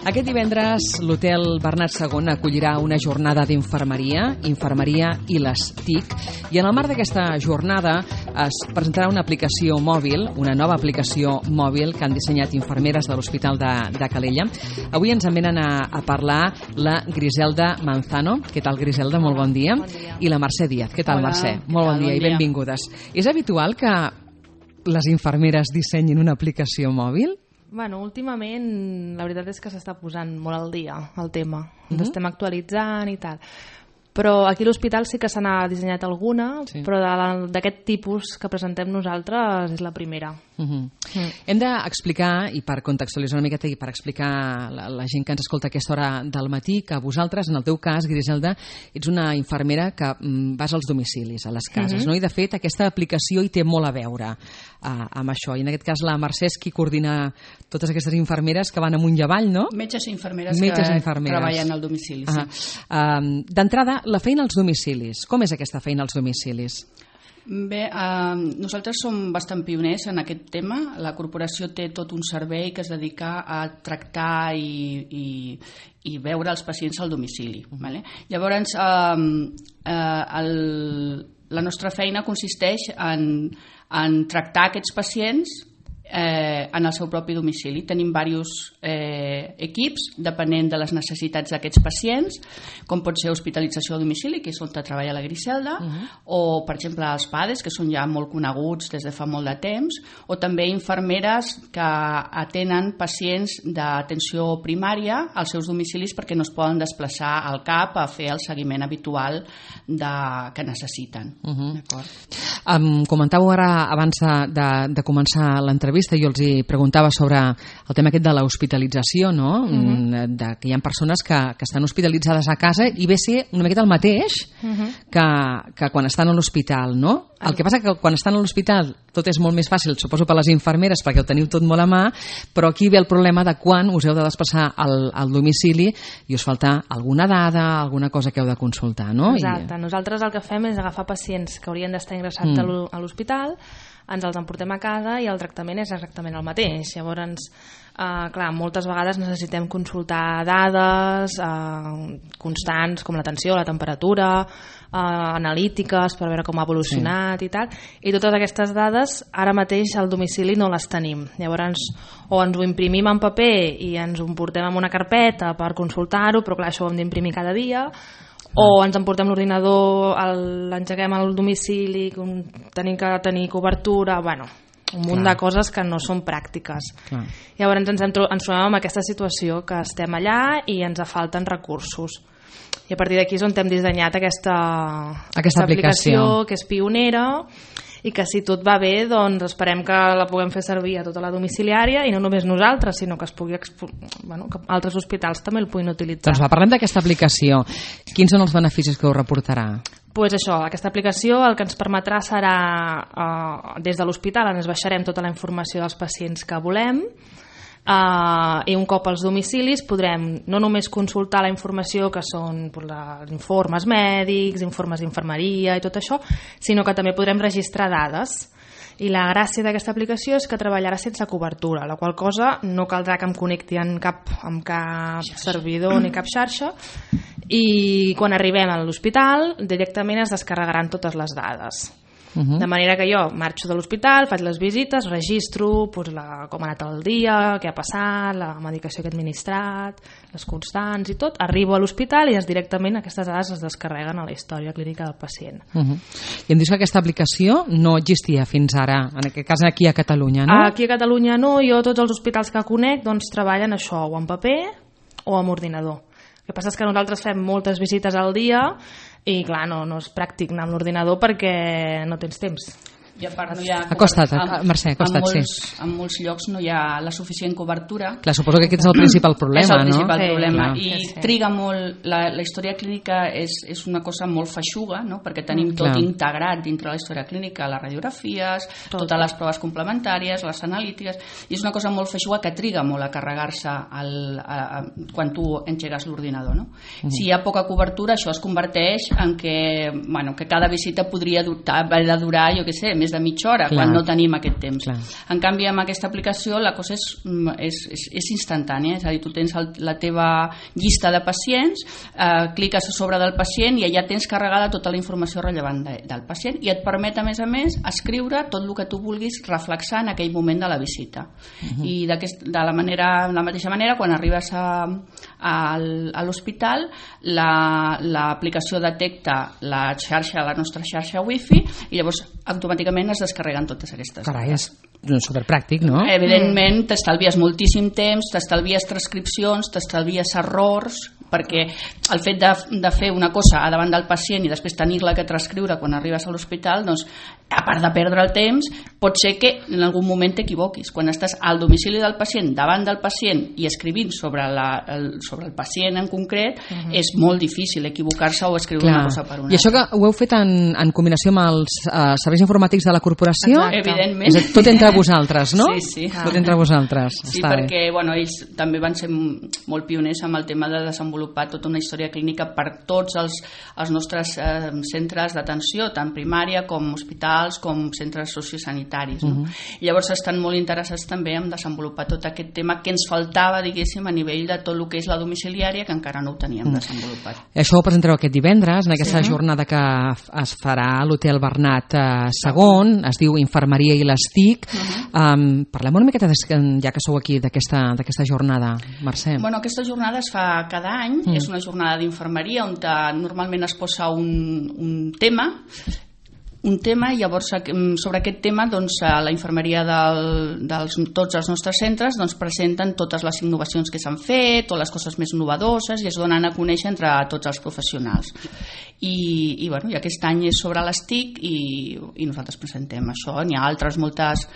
Aquest divendres l'Hotel Bernat II acollirà una jornada d'infermeria, infermeria i les TIC, i en el marc d'aquesta jornada es presentarà una aplicació mòbil, una nova aplicació mòbil que han dissenyat infermeres de l'Hospital de Calella. Avui ens en venen a parlar la Griselda Manzano. Què tal, Griselda? Molt bon dia. Bon dia. I la Mercè Díaz. Què tal, Mercè? Molt bon dia i benvingudes. És habitual que les infermeres dissenyin una aplicació mòbil? Bueno, últimament la veritat és que s'està posant molt al dia el tema. Ens estem actualitzant i tal. Però aquí a l'hospital sí que se n'ha dissenyat alguna, sí. Però d'aquest tipus que presentem nosaltres és la primera. Hem d'explicar, i per contextualitzar una miqueta i per explicar la gent que ens escolta a aquesta hora del matí, que vosaltres, en el teu cas, Griselda, ets una infermera que vas als domicilis, a les cases, no? I de fet aquesta aplicació hi té molt a veure amb això. I en aquest cas la Mercè és qui coordina totes aquestes infermeres que van amunt i avall, no? Metges i infermeres que treballen al domicili. Sí. D'entrada, la feina als domicilis. Com és aquesta feina als domicilis? Bé, nosaltres som bastant pioners en aquest tema. La corporació té tot un servei que es dedica a tractar i veure els pacients al domicili. Vale? Llavors, la nostra feina consisteix en tractar aquests pacients en el seu propi domicili. Tenim diversos equips depenent de les necessitats d'aquests pacients, com pot ser hospitalització a domicili, que és on treballa la Griselda, o per exemple els PADES, que són ja molt coneguts des de fa molt de temps, o també infermeres que atenen pacients d'atenció primària als seus domicilis perquè no es poden desplaçar al CAP a fer el seguiment habitual que necessiten. Comentàveu ara abans de començar l'entrevista, jo els hi preguntava sobre el tema aquest de l'hospitalització, no? De que hi ha persones que estan hospitalitzades a casa i ve a ser una miqueta el mateix que quan estan a l'hospital, no? El que passa que quan estan a l'hospital tot és molt més fàcil, suposo per les infermeres, perquè ho teniu tot molt a mà, però aquí ve el problema de quan us heu de desplaçar al domicili i us falta alguna dada, alguna cosa que heu de consultar, no? Exacte. Nosaltres el que fem és agafar pacients que haurien d'estar ingressats a l'hospital, ens els emportem a casa i el tractament és exactament el mateix. Llavors, clar, moltes vegades necessitem consultar dades constants com la tensió, la temperatura, analítiques per veure com ha evolucionat i tal, i totes aquestes dades ara mateix al domicili no les tenim. Llavors, o ens ho imprimim en paper i ens ho portem en una carpeta per consultar-ho, però clar, això ho hem d'imprimir cada dia, o ens emportem l'ordinador, l'engeguem al domicili, tenim que tenir cobertura, bueno, un munt de coses que no són pràctiques. Llavors ens trobem en aquesta situació que estem allà i ens falten recursos. I a partir d'aquí és on hem dissenyat aquesta aplicació que és pionera i que si tot va bé doncs esperem que la puguem fer servir a tota la domiciliària i no només nosaltres, sinó que es pugui que altres hospitals també el puguin utilitzar. Doncs parlem d'aquesta aplicació. Quins són els beneficis que us reportarà? Pues això, aquesta aplicació el que ens permetrà serà des de l'hospital ens baixarem tota la informació dels pacients que volem, i un cop als domicilis podrem no només consultar la informació que són informes mèdics, informes d'infermeria i tot això, sinó que també podrem registrar dades. I la gràcia d'aquesta aplicació és que treballarà sense cobertura, la qual cosa no caldrà que em connecti amb cap servidor ni cap xarxa, i quan arribem a l'hospital directament es descarregaran totes les dades. De manera que jo marxo de l'hospital, faig les visites, registro com ha anat el dia, què ha passat, la medicació que he administrat, les constants i tot, arribo a l'hospital i directament aquestes dades es descarreguen a la història clínica del pacient. I em dius que aquesta aplicació no existia fins ara, en aquest cas aquí a Catalunya, no? Aquí a Catalunya no, jo tots els hospitals que conec doncs treballen això, o en paper o amb ordinador. El que passa és que nosaltres fem moltes visites al dia i clar, no és pràctic anar amb l'ordinador perquè no tens temps. I a part no hi ha... Acosta't, Mercè, acosta't, sí. En molts llocs no hi ha la suficient cobertura. Clar, suposo que aquest és el principal problema, no? És el principal problema. I triga molt... La història clínica és una cosa molt feixuga, no? Perquè tenim tot integrat dintre la història clínica, les radiografies, totes les proves complementàries, les analítiques, i és una cosa molt feixuga que triga molt a carregar-se quan tu engegues l'ordinador, no? Si hi ha poca cobertura, això es converteix en que cada visita podria haver de durar, jo què sé, més més de mitja hora, quan no tenim aquest temps. Clar. En canvi, amb aquesta aplicació la cosa és instantània, és a dir, tu tens la teva llista de pacients, cliques a sobre del pacient i allà tens carregada tota la informació rellevant del pacient i et permet, a més, escriure tot el que tu vulguis reflexar en aquell moment de la visita. I de la mateixa manera, quan arribes a l'hospital, l'aplicació detecta la nostra xarxa wifi i llavors automàticament es descarreguen totes aquestes. Carai, és superpràctic, no? Evidentment t'estalvies moltíssim temps, t'estalvies transcripcions, t'estalvies errors, perquè el fet de fer una cosa davant del pacient i després tenir-la que transcriure quan arribes a l'hospital, doncs, a part de perdre el temps, pot ser que en algun moment t'equivoquis. Quan estàs al domicili del pacient, davant del pacient i escrivint sobre el pacient en concret, és molt difícil equivocar-se o escriure una cosa per una. I això que ho heu fet en combinació amb els serveis informàtics de la corporació? Evidentment. És tot entre vosaltres, no? Sí. Tot entre vosaltres. Sí, perquè ells també van ser molt pioners amb el tema de desenvolupar tota una història clínica per tots els nostres centres d'atenció, tant primària com hospitals, com centres sociosanitaris. No? Llavors estan molt interessats també en desenvolupar tot aquest tema que ens faltava, diguéssim, a nivell de tot el que és la domiciliària, que encara no ho teníem desenvolupat. Això ho presentareu aquest divendres, en aquesta jornada que es farà a l'Hotel Bernat II, es diu Infermeria i les TIC. Parlem una miqueta, ja que sou aquí, d'aquesta jornada, Mercè. Bueno, aquesta jornada es fa cada any, és una jornada d'infermeria on normalment es posa un tema i llavors sobre aquest tema la infermeria de tots els nostres centres presenten totes les innovacions que s'han fet o les coses més innovadores i es donen a conèixer entre tots els professionals i aquest any és sobre les TIC i nosaltres presentem això. N'hi ha altres moltes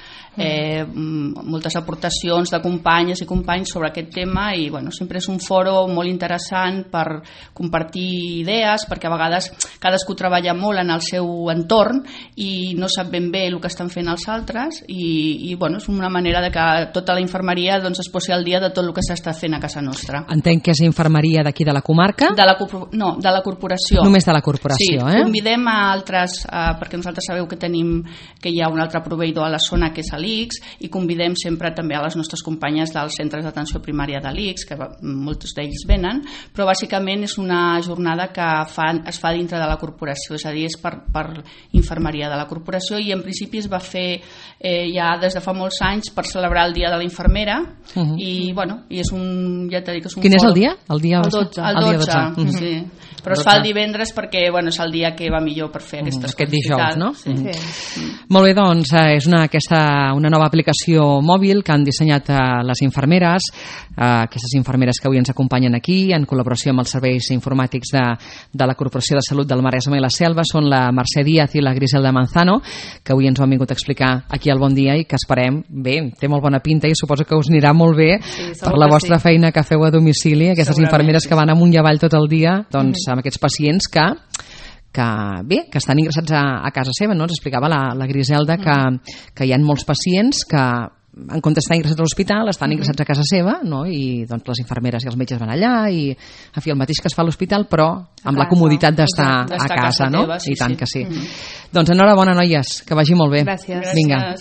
aportacions de companyes i companys sobre aquest tema i sempre és un foro molt interessant per compartir idees, perquè a vegades cadascú treballa molt en el seu entorn i no sap ben bé el que estan fent els altres i és una manera de que tota la infermeria es posi al dia de tot el que s'està fent a casa nostra. Entenc que és infermeria d'aquí de la comarca? No, de la corporació. Només de la corporació, sí, convidem a altres, perquè nosaltres sabeu que hi ha un altre proveïdor a la zona que és l'ICS i convidem sempre també a les nostres companyes dels centres d'atenció primària de l'ICS, que molts d'ells venen, però bàsicament és una jornada que es fa dintre de la corporació, és a dir, és per infermeria de la corporació i en principi es va fer ja des de fa molts anys per celebrar el dia de la infermera i és un, ja t'he dit que és un Quin és el dia? El 12. El 12. Sí. Però es fa el divendres perquè és el dia que va millor per fer aquestes coses. Aquest dijous, no? Sí. Molt bé, doncs és una nova aplicació mòbil que han dissenyat les infermeres, aquestes infermeres que avui ens acompanyen aquí en col·laboració amb els serveis informàtics de la Corporació de Salut del Maresme i la Selva, són la Mercè Díaz i la Griselda Manzano, que avui ens ho han vingut a explicar aquí al Bon Dia i que esperem, bé, té molt bona pinta i suposo que us anirà molt bé per la vostra feina que feu a domicili, aquestes infermeres que van amunt i avall tot el dia, doncs amb aquests pacients que estan ingressats a casa seva, no? Ens explicava la Griselda que hi ha molts pacients que en comptes d'estar ingressats a l'hospital estan ingressats a casa seva, no? I doncs les infermeres i els metges van allà i en fi, el mateix que es fa a l'hospital però amb la comoditat d'estar a casa, no? I tant que sí. Doncs enhorabona, noies, que vagi molt bé. Gràcies. Vinga.